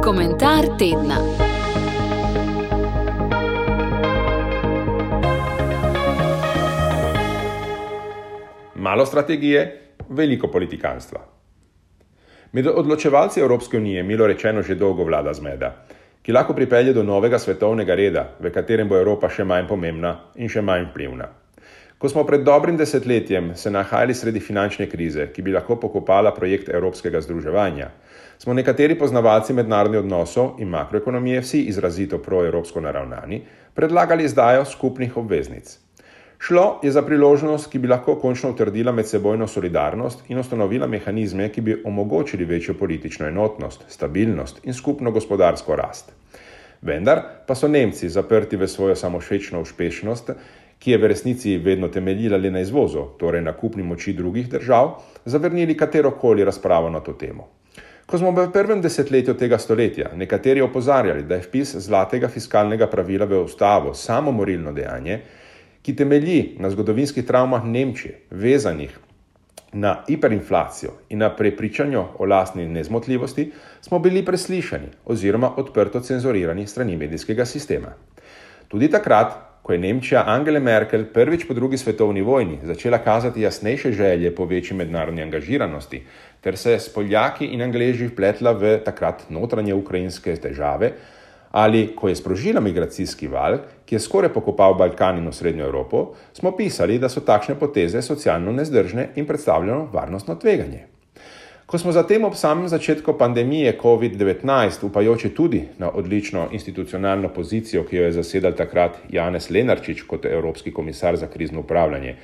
Komentar tedna. Malo strategije, veliko politikanstva. Med odločevalci Evropske unije milo rečeno že dolgo vlada zmeda, ki lahko pripelje do novega svetovnega reda, v katerem bo Evropa še manj pomembna in še manj vplivna. Ko smo pred dobrim desetletjem se nahajali sredi finančne krize, ki bi lahko pokopala projekt evropskega združevanja, smo nekateri poznavalci mednarodnih odnosov in makroekonomije, vsi izrazito proevropsko naravnani, predlagali izdajo skupnih obveznic. Šlo je za priložnost, ki bi lahko končno utrdila medsebojno solidarnost in ustanovila mehanizme, ki bi omogočili večjo politično enotnost, stabilnost in skupno gospodarsko rast. Vendar pa so Nemci zaprti v svojo samošečno uspešnost, ki je v resnici vedno temeljila le na izvozu, torej na kupni moči drugih držav, zavrnili katerokoli razpravo na to temo. Ko smo v prvem desetletju tega stoletja nekateri opozarjali, da je vpis zlatega fiskalnega pravila v ustavo samomorilno dejanje, ki temelji na zgodovinskih travmah Nemčije, vezanih na hiperinflacijo in na prepričanju o lastni nezmotljivosti, smo bili preslišani oziroma odprto cenzurirani strani medijskega sistema. Tudi takrat, ko je Nemčija Angele Merkel prvič po drugi svetovni vojni začela kazati jasnejše želje po večji mednarodni angažiranosti, ter se s Poljaki in Angleži vpletla v takrat notranje ukrajinske težave, ali ko je sprožila migracijski val, ki je skoraj pokopal Balkan in Srednjo Evropo, smo pisali, da so takšne poteze socialno nezdržne in predstavljeno varnostno tveganje. Ko smo zatem ob samem začetku pandemije COVID-19, upajoči tudi na odlično institucionalno pozicijo, ki jo je zasedal takrat Janez Lenarčič kot Evropski komisar za krizno upravljanje,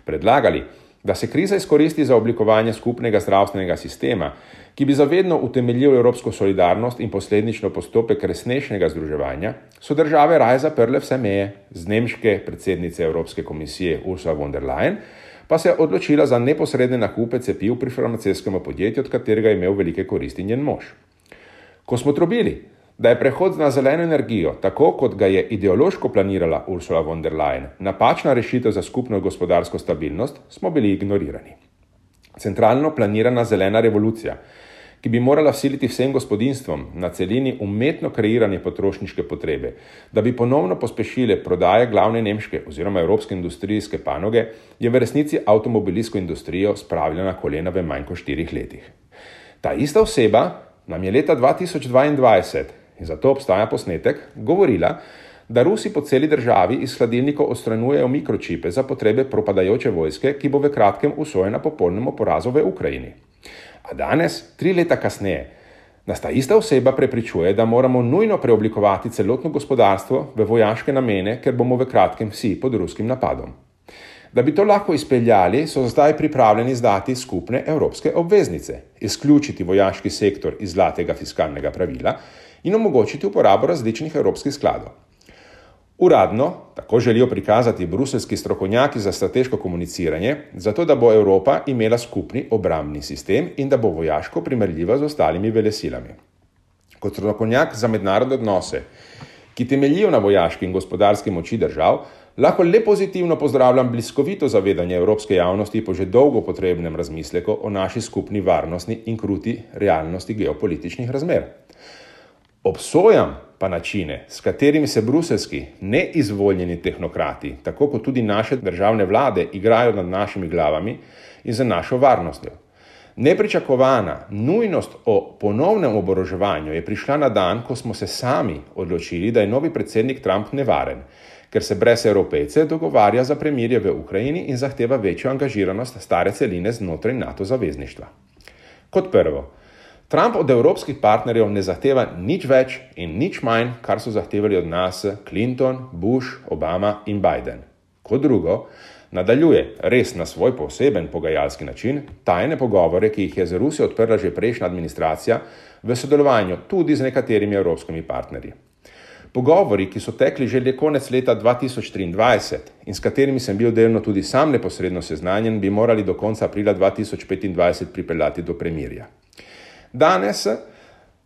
predlagali, da se kriza izkoristi za oblikovanje skupnega zdravstvenega sistema, ki bi zavedno utemeljil evropsko solidarnost in posledično postopek resnejšega združevanja, so države raje zaprle vse meje, z nemške predsednice Evropske komisije Ursula von der Leyen pa se je odločila za neposredne nakupe cepiv pri farmacevskem podjetju, od katerega je imel velike koristi njen mož. Ko smo trobili, da je prehod na zeleno energijo, tako kot ga je ideološko planirala Ursula von der Leyen, napačna rešitev za skupno gospodarsko stabilnost, smo bili ignorirani. Centralno planirana zelena revolucija, ki bi morala vsiliti vsem gospodinjstvom na celini umetno kreiranje potrošniške potrebe, da bi ponovno pospešile prodaje glavne nemške oziroma evropske industrijske panoge, je v resnici avtomobilsko industrijo spravila na kolena v manj kot 4 letih. Ta ista oseba nam je leta 2022, in zato obstaja posnetek, govorila, da Rusi po celi državi iz hladilnikov odstranjujejo mikročipe za potrebe propadajoče vojske, ki bo v kratkem usojena popolnemu porazu v Ukrajini. A danes, 3 leta kasneje, nas ta ista oseba prepričuje, da moramo nujno preoblikovati celotno gospodarstvo v vojaške namene, ker bomo v kratkem vsi pod ruskim napadom. Da bi to lahko izpeljali, so zdaj pripravljeni izdati skupne evropske obveznice, izključiti vojaški sektor iz zlatega fiskalnega pravila in omogočiti uporabo različnih evropskih skladov. Uradno tako želijo prikazati bruseljski strokovnjaki za strateško komuniciranje, zato da bo Evropa imela skupni obrambni sistem in da bo vojaško primerljiva z ostalimi velesilami. Kot strokovnjak za mednarodne odnose, ki temeljijo na vojaški in gospodarski moči držav, lahko le pozitivno pozdravljam bliskovito zavedanje evropske javnosti po že dolgo potrebnem razmisleku o naši skupni varnostni in kruti realnosti geopolitičnih razmer. Obsojam pa načine, s katerimi se bruseljski neizvoljeni tehnokrati, tako kot tudi naše državne vlade, igrajo nad našimi glavami in za našo varnostjo. Nepričakovana nujnost o ponovnem oboroževanju je prišla na dan, ko smo se sami odločili, da je novi predsednik Trump nevaren, ker se brez Evropejce dogovarja za premirje v Ukrajini in zahteva večjo angažiranost stare celine znotraj NATO zavezništva. Kot prvo, Trump od evropskih partnerjev ne zahteva nič več in nič manj, kar so zahtevali od nas Clinton, Bush, Obama in Biden. Kot drugo, nadaljuje res na svoj poseben pogajalski način tajne pogovore, ki jih je z Rusijo odprla že prejšnja administracija v sodelovanju tudi z nekaterimi evropskimi partnerji. Pogovori, ki so tekli že konec leta 2023 in s katerimi sem bil delno tudi sam neposredno seznanjen, bi morali do konca aprila 2025 pripeljati do premirja. Danes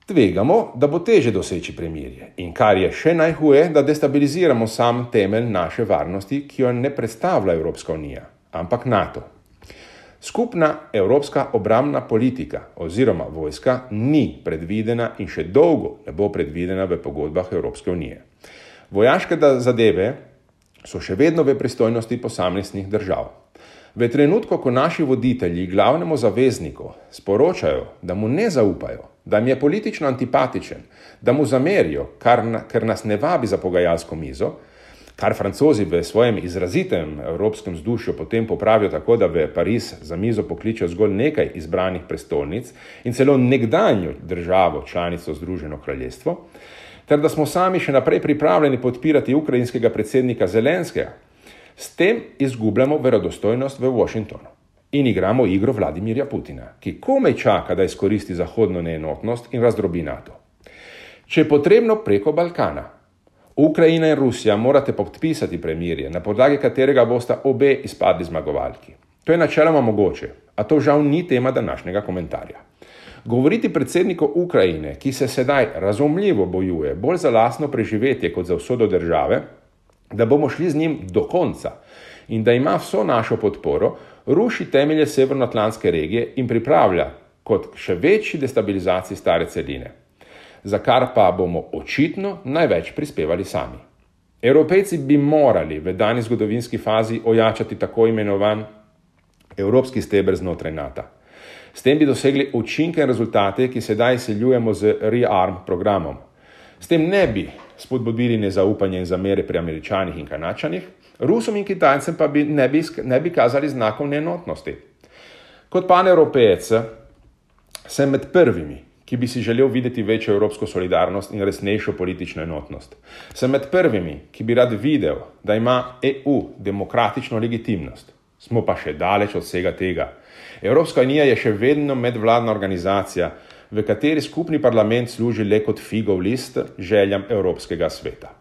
tvegamo, da bo teže doseči premirje in kar je še najhuje, da destabiliziramo sam temelj naše varnosti, ki jo ne predstavlja Evropska unija, ampak NATO. Skupna evropska obrambna politika oziroma vojska ni predvidena in še dolgo ne bo predvidena v pogodbah Evropske unije. Vojaške zadeve so še vedno v pristojnosti posameznih držav. V trenutku, ko naši voditelji glavnemu zavezniku sporočajo, da mu ne zaupajo, da jim je politično antipatičen, da mu zamerijo, ker nas ne vabi za pogajalsko mizo, kar Francozi v svojem izrazitem evropskem vzdušju potem popravijo tako, da v Pariz za mizo pokličejo zgolj nekaj izbranih prestolnic in celo nekdanjo državo, članico Združeno kraljestvo, ter da smo sami še naprej pripravljeni podpirati ukrajinskega predsednika Zelenskega, s tem izgubljamo verodostojnost v Washingtonu in igramo igro Vladimirja Putina, ki komaj čaka, da izkoristi zahodno neenotnost in razdrobi NATO. Če je potrebno preko Balkana, Ukrajina in Rusija morate podpisati premirje, na podlagi katerega bosta obe izpadli zmagovalki. To je načeloma mogoče, a to žal ni tema današnjega komentarja. Govoriti predsedniku Ukrajine, ki se sedaj razumljivo bojuje bolj za lastno preživetje kot za usodo države, da bomo šli z njim do konca in da ima vso našo podporo, ruši temelje severnoatlantske regije in pripravlja kot še večji destabilizaciji stare celine, za kar pa bomo očitno največ prispevali sami. Evropejci bi morali v dani zgodovinski fazi ojačati tako imenovan evropski steber znotraj NATO. S tem bi dosegli učinke in rezultate, ki sedaj izsiljujemo z ReArm programom. S tem ne bi spodbudili nezaupanje in zamere pri Američanih in Kanačanih, Rusom in Kitajcem pa ne bi kazali znakov neenotnosti. Kot panevropejec sem med prvimi, ki bi si želel videti večjo evropsko solidarnost in resnejšo politično enotnost. Sem med prvimi, ki bi rad videl, da ima EU demokratično legitimnost. Smo pa še daleč od vsega tega. Evropska unija je še vedno medvladna organizacija, v kateri skupni parlament služi le kot figov list željam Evropskega sveta.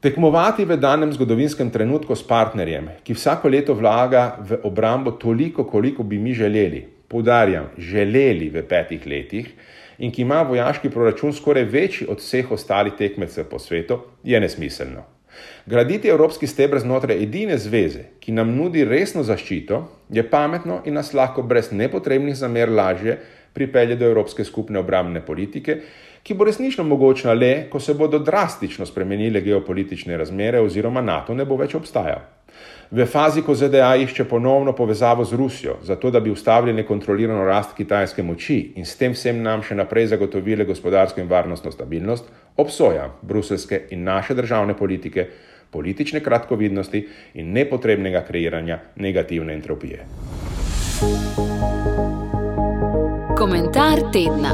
Tekmovati v danem zgodovinskem trenutku s partnerjem, ki vsako leto vlaga v obrambo toliko, koliko bi mi želeli, poudarjam, želeli v 5 letih, in ki ima vojaški proračun skoraj večji od vseh ostalih tekmecev po svetu, je nesmiselno. Graditi evropski steber znotraj edine zveze, ki nam nudi resno zaščito, je pametno in nas lahko brez nepotrebnih zamer lažje pripelje do evropske skupne obrambne politike, ki bo resnično mogočna le, ko se bodo drastično spremenile geopolitične razmere oziroma NATO ne bo več obstajal. V fazi, ko ZDA išče ponovno povezavo z Rusijo, zato da bi ustavili nekontrolirano rast kitajske moči in s tem vsem nam še naprej zagotovile gospodarsko in varnostno stabilnost, obsoja bruseljske in naše državne politike, politične kratkovidnosti in nepotrebnega kreiranja negativne entropije. Komentar tedna.